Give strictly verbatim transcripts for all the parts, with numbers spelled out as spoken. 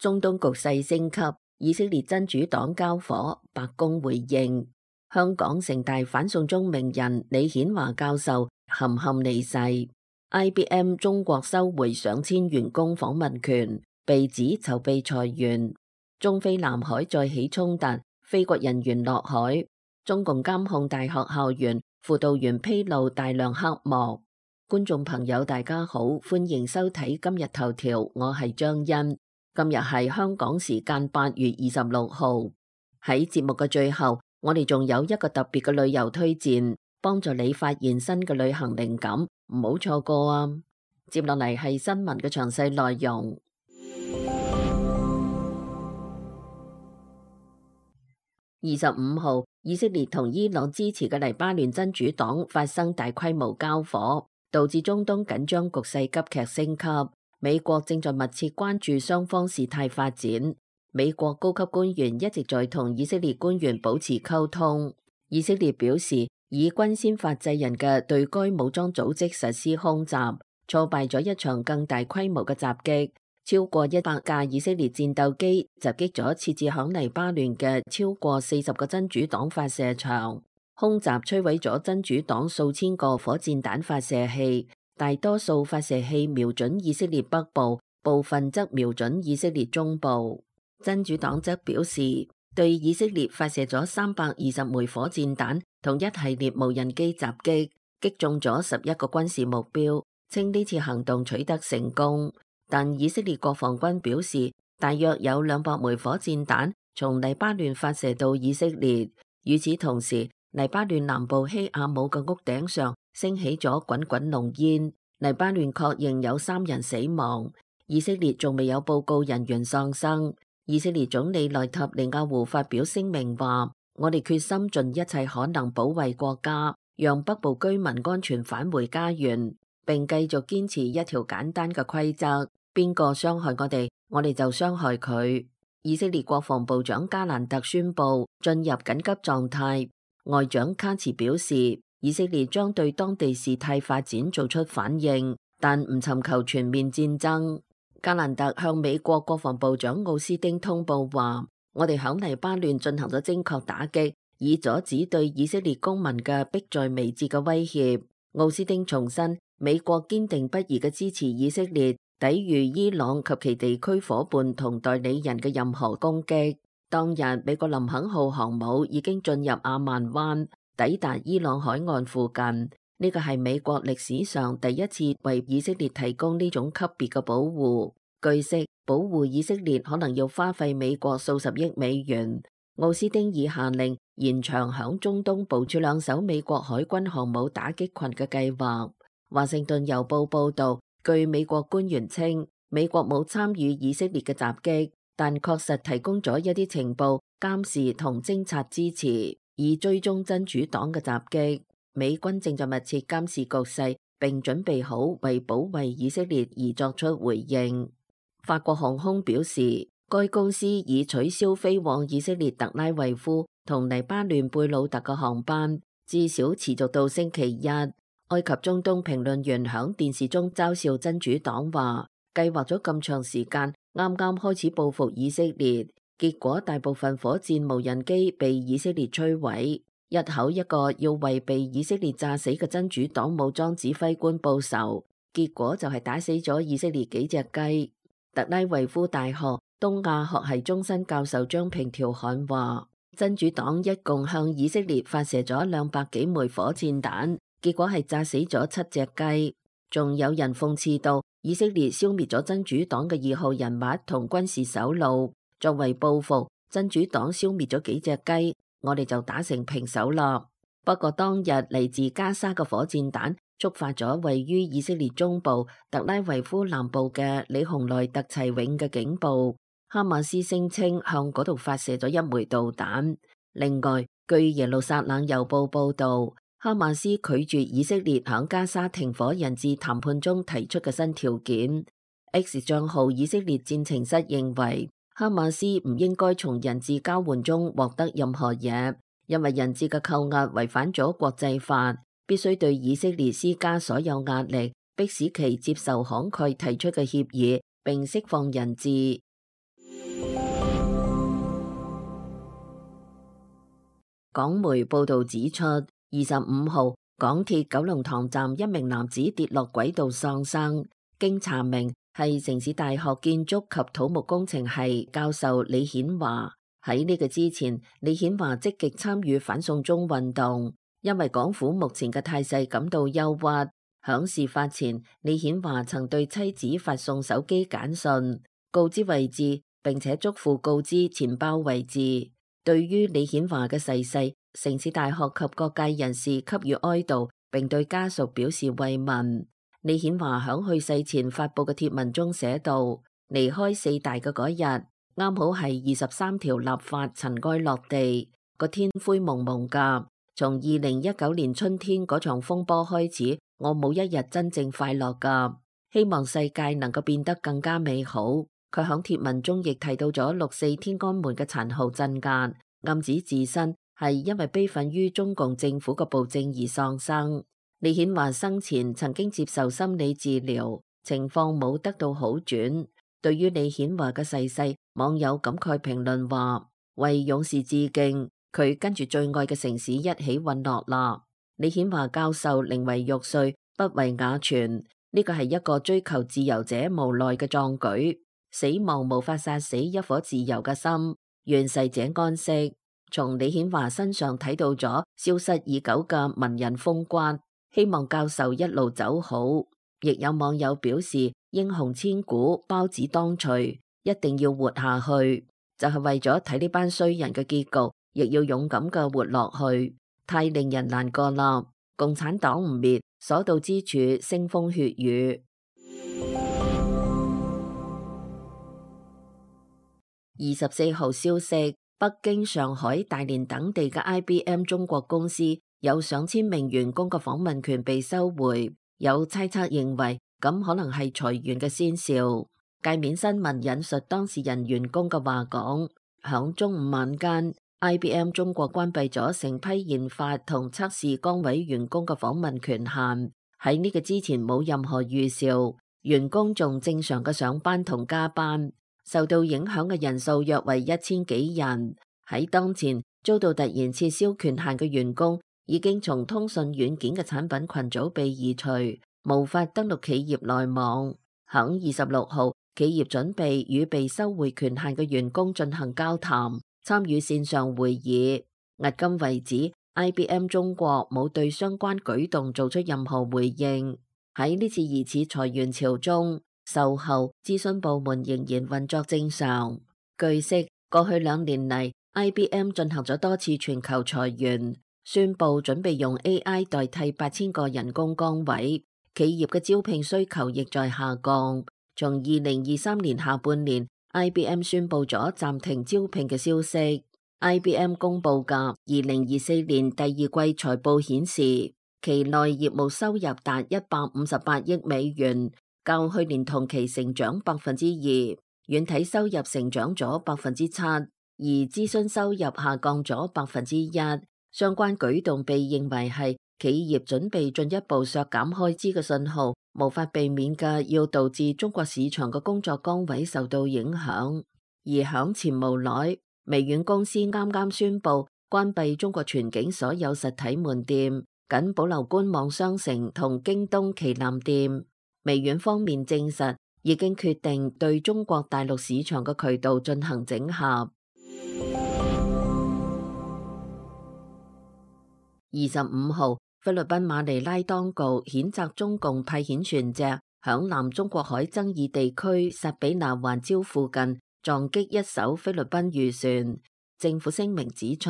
中東局勢升級，以色列真主黨交火，白宮回應。香港城大反送中名人李顯華教授含憾離世。I B M 中國收回上千員工訪問權，被指籌備裁員。中非南海再起衝突，非國人員落海。中共監控大學校園，輔導員披露大量黑幕。觀眾朋友大家好，歡迎收睇今日頭條，我係張欣。今日係香港時間八月二十六號。喺節目嘅最後，我哋仲有一個特別嘅旅遊推薦，幫助你發現新嘅旅行靈感，唔好錯過啊！接落嚟係新聞嘅詳細內容。二十五號，以色列同伊朗支持嘅黎巴嫩真主黨發生大規模交火，導致中東緊張局勢急劇升級。美國正在密切關注雙方事態發展。美國高級官員一直在同以色列官員保持溝通。以色列表示，以軍先發制人嘅對該武裝組織實施空襲，挫敗咗一場更大規模嘅襲擊。超過一百架以色列戰鬥機襲擊咗設置響黎巴嫩嘅超過四十個真主黨發射場，空襲摧毀咗真主黨數千個火箭彈發射器。大多數發射器瞄準以色列北部，部分則瞄準以色列中部。真主黨則表示，對以色列發射咗三百二十枚火箭彈同一系列無人機襲擊，擊中咗十一個軍事目標，稱呢次行動取得成功。但以色列國防軍表示，大約有兩百枚火箭彈從黎巴嫩發射到以色列。與此同時，黎巴嫩南部希亞姆嘅屋頂上升起咗滾滾濃煙。黎巴嫩確認有三人死亡，以色列仲未有報告人員喪生。以色列總理內塔尼亞胡發表聲明話：我哋決心盡一切可能保衛國家，讓北部居民安全返回家園，並繼續堅持一條簡單嘅規則：邊個傷害我哋，我哋就傷害佢。以色列國防部長加蘭特宣布進入緊急狀態。外長卡茨表示，以色列將對當地事態發展做出反應，但唔尋求全面戰爭。加蘭特向美國國防部長奧斯汀通報話：我哋響黎巴嫩進行咗精確打擊，以阻止對以色列公民嘅迫在眉睫嘅威脅。奧斯汀重申，美國堅定不移嘅支持以色列抵禦伊朗及其地區夥伴同代理人嘅任何攻擊。當日，美國林肯號航母已經進入阿曼灣，抵達伊朗海岸附近。呢個係美國歷史上第一次為以色列提供呢種級別嘅保護。據悉，保護以色列可能要花費美國數十億美元。奧斯汀已下令延長響中東部署兩艘美國海軍航母打擊群嘅計劃。華盛頓郵報報道，據美國官員稱，美國冇參與以色列嘅襲擊，但確實提供咗一啲情報、監視同偵察支持，以追蹤真主黨嘅襲擊。美軍正在密切監視局勢，並準備好為保衛以色列而作出回應。法國航空表示，該公司已取消飛往以色列特拉維夫同黎巴嫩貝魯特嘅航班，至少持續到星期一。埃及中東評論員響電視中嘲笑真主黨話，計劃咗咁長時間，啱啱開始報復以色列，結果大部分火箭無人機被以色列摧毀。一口一個要為被以色列炸死嘅真主黨武裝指揮官報仇，結果就係打死咗以色列幾隻雞。特拉維夫大學東亞學系終身教授張平條漢話，真主黨一共向以色列發射咗兩百幾枚火箭彈，結果係炸死咗七隻雞。仲有人諷刺到，以色列消滅咗真主黨嘅二號人物同軍事首腦，作為報復，真主黨消滅咗幾隻雞，我哋就打成平手啦。不過當日嚟自加沙嘅火箭彈觸發咗位於以色列中部特拉維夫南部嘅里洪內特齊永嘅警報。哈馬斯聲稱向嗰度發射咗一枚導彈。另外，據耶路撒冷郵報報道，哈馬斯拒絕以色列響加沙停火人質談判中提出嘅新條件。X 賬號以色列戰情室認為，哈馬斯唔應該從人質交換中獲得任何嘢，因為人質嘅扣押違反咗國際法，必須對以色列施加所有壓力，迫使其接受慷慨提出嘅協議，並釋放人質。港媒報導指出，二十五號港鐵九龍塘站一名男子跌落軌道喪生，經查明係城市大學建築及土木工程系教授李顯華。喺呢個之前，李顯華積極參與反送中運動，因為港府目前嘅態勢感到憂鬱。響事發前，李顯華曾對妻子發送手機簡訊，告知位置，並且囑咐告知錢包位置。對於李顯華嘅逝世，城市大學及各界人士給予哀悼，並對家屬表示慰問。李顯華響去世前發布嘅貼文中寫道：離開四大嘅嗰日，啱好係二十三條立法塵埃落地，個天灰蒙蒙噶。從二零一九年春天嗰場風波開始，我冇一日真正快樂噶。希望世界能夠變得更加美好。佢響貼文中亦提到咗六四天安門嘅殘酷鎮壓，暗指自身係因為悲憤於中共政府嘅暴政而喪生。李顯華生前曾經接受心理治療，情況冇得到好轉。對於李顯華嘅逝世，網友感慨評論話：為勇士致敬，佢跟住最愛嘅城市一起隕落啦。李顯華教授寧為玉碎，不為瓦全，呢個係一個追求自由者無奈嘅壯舉。死亡無法殺死一顆自由嘅心，願逝者安息。從李顯華身上睇到咗消失已久嘅文人風骨，希望教授一路走好。亦有網友表示，英雄千古，包子當隨，一定要活下去，就係為咗睇呢班衰人嘅結局，亦要勇敢嘅活落去。太令人難過啦！共產黨唔滅，所到之處腥風血雨。二十四號消息，北京、上海、大連等地嘅 I B M 中國公司有上千名員工嘅訪問權被收回，有猜測認為咁可能係裁員嘅先兆。界面新聞引述當事人員工嘅話講，響中午晚間 I B M 中國關閉咗成批研發同測試崗位員工嘅訪問權限，喺呢個之前冇任何預兆，員工仲正常嘅上班同加班。受到影響嘅人數約為一千幾人。喺當前遭到突然撤銷權限嘅員工，已經從通訊軟件嘅產品群組被移除，無法登錄企業內網。響二十六號，企業準備與被收回權限嘅員工進行交談，參與線上會議。迄今為止 ，I B M 中國冇對相關舉動做出任何回應。喺呢次疑似裁員潮中，售後諮詢部門仍然運作正常。據悉，過去兩年嚟 ，I B M 進行咗多次全球裁員，宣布準備用 A I 代替八千個人工崗位。企業嘅招聘需求亦在下降。從二零二三年下半年 ，I B M 宣布咗暫停招聘嘅消息。I B M 公布嘅二零二四年第二季財報顯示，期內業務收入達一百五十八億美元。較去年同期成長百分之二，軟體收入成長咗百分之七，而諮詢收入下降咗百分之一。相關舉動被認為係企業準備進一步削減開支嘅信號，無法避免嘅要導致中國市場嘅工作崗位受到影響。而響前無耐，微軟公司啱啱宣布關閉中國全境所有實體門店，僅保留官網商城同京東旗艦店。微軟方面證實，已經決定對中國大陸市場嘅渠道進行整合。二十五號，菲律賓馬尼拉當局譴責中共派遣船隻響南中國海爭議地區薩比那環礁附近撞擊一艘菲律賓漁船。政府聲明指出，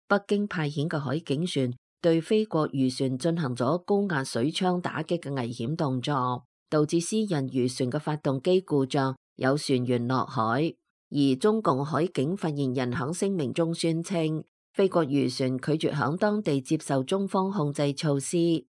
北京派遣嘅海警船對菲國漁船進行咗高壓水槍打擊嘅危險動作，導致私人漁船嘅發動機故障，有船員落海。而中共海警發言人響聲明中宣稱，菲國漁船拒絕響當地接受中方控制措施。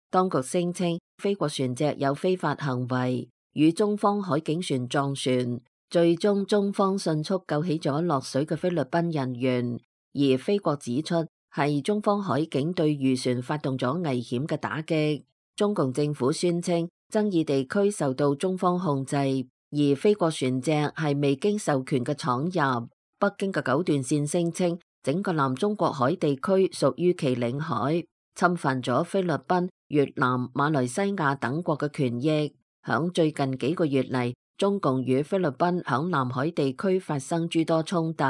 當局聲稱菲國船隻有非法行為，與中方海警船撞船，最終中方迅速救起咗落水嘅菲律賓人員。而菲國指出係中方海警對漁船發動咗危險嘅打擊。中共政府宣稱爭議地區受到中方控制，而菲國船隻係未經授權嘅闖入。北京嘅九段線聲稱整個南中國海地區屬於其領海，侵犯咗菲律賓、越南、馬來西亞等國嘅權益。響最近幾個月嚟，中共與菲律賓響南海地區發生諸多衝突。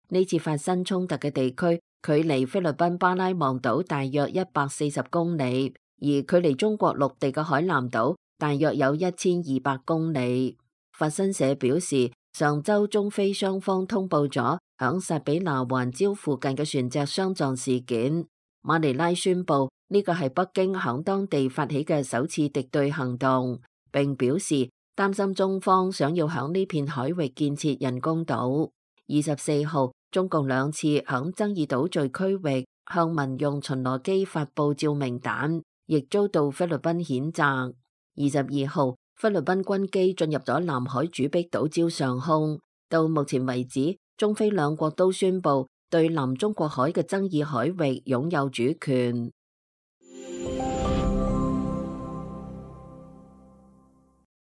呢次發生衝突嘅地區距離菲律賓巴拉望島大約一百四十公里，而距離中國陸地嘅海南島大約有一千二百公里。法新社表示，上周中菲雙方通報咗響薩比拿環礁附近嘅船隻相撞事件。馬尼拉宣布呢個係北京響當地發起嘅首次敵對行動，並表示擔心中方想要響呢片海域建設人工島。二十四號，中共兩次響爭議島嶼區域向民用巡邏機發佈照明彈，亦遭到菲律賓譴責。二十二號，菲律賓軍機進入咗南海主碧島礁上空。到目前為止，中菲兩國都宣布對南中國海嘅爭議海域擁有主權。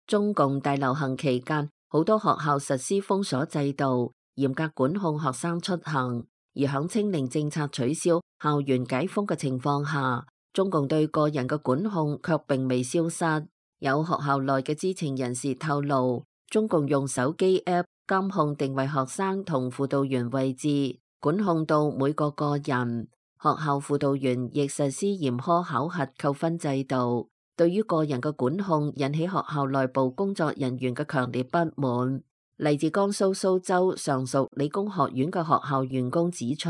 中共大流行期間，好多學校實施封鎖制度，嚴格管控學生出行。而響清零政策取消、校園解封嘅情況下，中共對個人嘅管控卻並未消失。有學校內嘅知情人士透露，中共用手機 App 監控定位學生同輔導員位置，管控到每個個人。學校輔導員亦實施嚴苛考核扣分制度。對於個人嘅管控引起學校內部工作人員嘅強烈不滿。嚟自江蘇蘇州常熟理工學院嘅學校員工指出，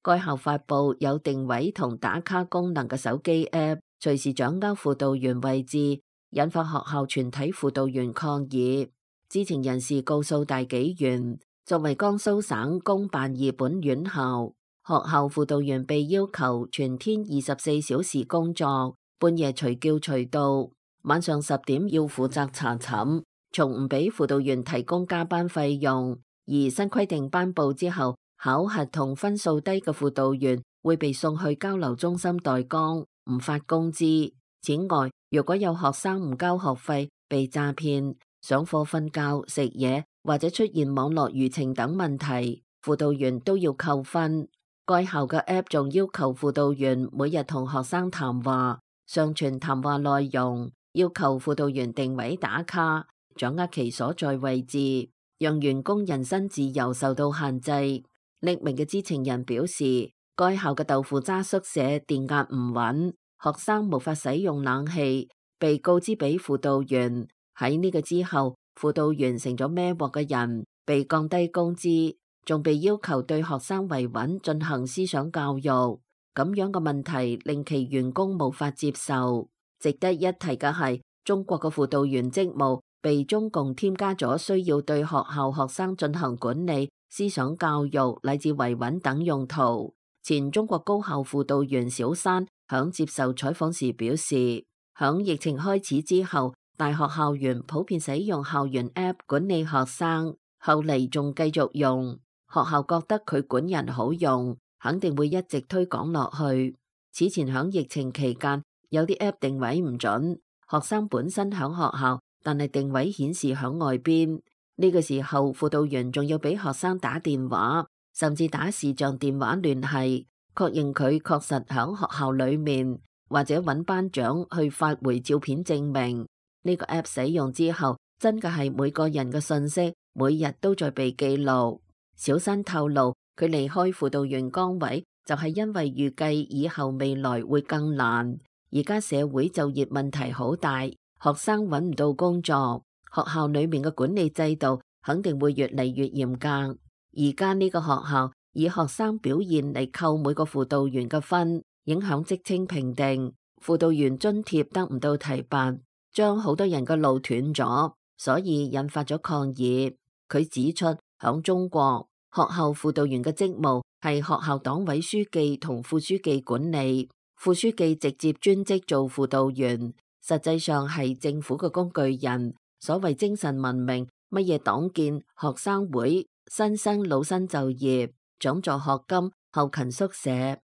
該校發佈有定位同打卡功能嘅手機 App， 隨時掌握輔導員位置，引發學校全體輔導員抗議。知情人士告訴大紀元，作為江蘇省公辦二本院校，學校輔導員被要求全天二十四小時工作，半夜隨叫隨到，晚上十點要負責查寢，從唔俾輔導員提供加班費用。而新規定頒布之後，考核同分數低嘅輔導員會被送去交流中心待崗，唔發工資。此外，如果有學生唔交學費、被詐騙、上課瞓覺、食嘢或者出現網絡輿情等問題，輔導員都要扣分。該校嘅 App 仲要求輔導員每日同學生談話，上傳談話內容，要求輔導員定位打卡，掌握其所在位置，讓員工人身自由受到限制。匿名嘅知情人表示，該校嘅豆腐渣宿舍電壓唔穩，學生無法使用冷氣，被告知俾輔導員。喺呢個之後，輔導員成咗孭鑊嘅人，被降低工資，仲被要求對學生維穩進行思想教育。咁樣嘅問題令其員工無法接受。值得一提嘅係，中國嘅輔導員職務被中共添加咗需要對學校學生進行管理、思想教育乃至維穩等用途。前中國高校輔導員小山響接受採訪時表示，響疫情開始之後，大學校園普遍使用校園 App 管理學生，後嚟仲繼續用。學校覺得佢管人好用，肯定會一直推廣落去。此前響疫情期間，有啲 App 定位唔準，學生本身響學校，但係定位顯示響外邊。呢個時候，輔導員仲要俾學生打電話，甚至打視像電話聯繫，確認佢確實響學校裏面，或者揾班長去發回照片證明。呢個 App 使用之後，真嘅係每個人嘅信息每日都在被記錄。小新透露，佢離開輔導員崗位就係因為預計以後未來會更難。而家社會就業問題好大，學生揾唔到工作，學校裏面嘅管理制度肯定會越嚟越嚴格。而家呢個學校以學生表現嚟扣每個輔導員嘅分，影響職稱評定，輔導員津貼得唔到提拔，將好多人嘅路斷咗，所以引發咗抗議。佢指出，響中國，學校輔導員嘅職務係學校黨委書記同副書記管理，副書記直接專職做輔導員，實際上係政府嘅工具人。所謂精神文明，乜嘢黨建、學生會、新生老生就業、獎助學金、後勤宿舍、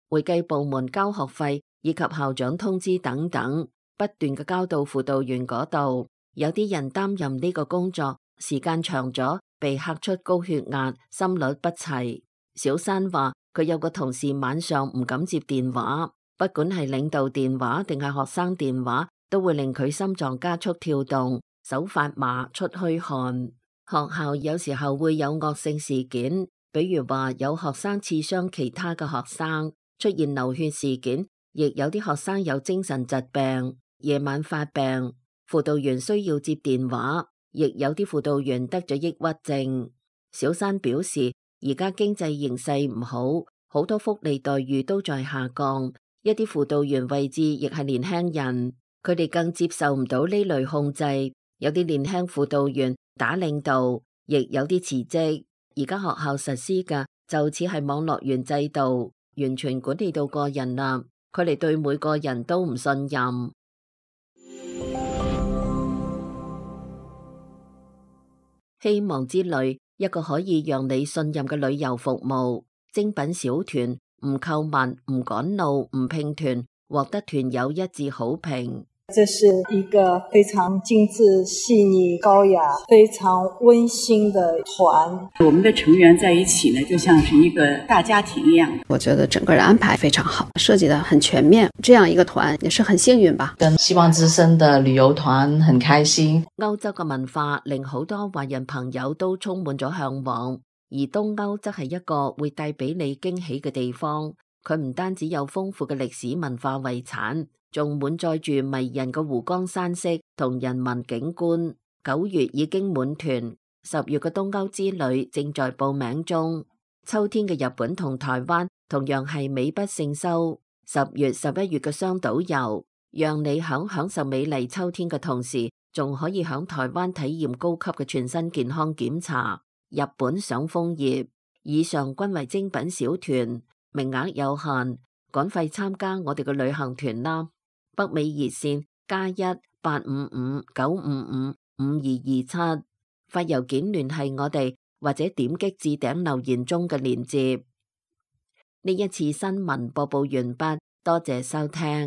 會計部門交學費以及校長通知等等，不斷嘅交到輔導員嗰度。有啲人擔任呢個工作時間長咗，被嚇出高血壓、心率不齊。小山話佢有個同事晚上唔敢接電話，不管係領導電話定係學生電話，都會令佢心臟加速跳動，手發麻，出虛汗。學校有時候會有惡性事件，比如話有學生刺傷其他嘅學生，出現流血事件，亦有啲學生有精神疾病，夜晚發病，輔導員需要接電話，亦有啲輔導員得咗抑鬱症。小山表示，而家經濟形勢唔好，好多福利待遇都在下降，一啲輔導員位置亦係年輕人，佢哋更接受唔到呢類控制，有啲年輕輔導員打領導，亦有啲辭職。而家學校實施嘅就似係網絡員制度，完全管理到個人啦，佢哋對每個人都唔信任。希望之旅，一個可以讓你信任嘅旅遊服務，精品小團，唔購物，唔趕路，唔拼團，獲得團友一致好評。這是一個非常精緻、細膩、高雅、非常溫馨的團。我們的成員在一起呢，就像是一個大家庭一樣。我覺得整個的安排非常好，設計得很全面。這樣一個團也是很幸運吧。跟希望之聲的旅遊團很開心。歐洲嘅文化令好多華人朋友都充滿咗向往，而東歐則係一個會帶俾你驚喜嘅地方。佢唔單止有豐富嘅歷史文化遺產，仲滿載住迷人嘅湖光山色同人文景觀。九月已經滿團，十月嘅東歐之旅正在報名中。秋天嘅日本同台灣同樣係美不勝收。十月、十一月嘅雙島遊，讓你響享受美麗秋天嘅同時，仲可以響台灣體驗高級嘅全身健康檢查。日本賞楓葉，以上均為精品小團，名額有限，趕快參加我哋嘅旅行團啦！北美熱線加一八五五九五五五二二七，發郵件聯繫我哋，或者點擊置頂留言中嘅鏈接。呢一次新聞播報完畢，多謝收聽。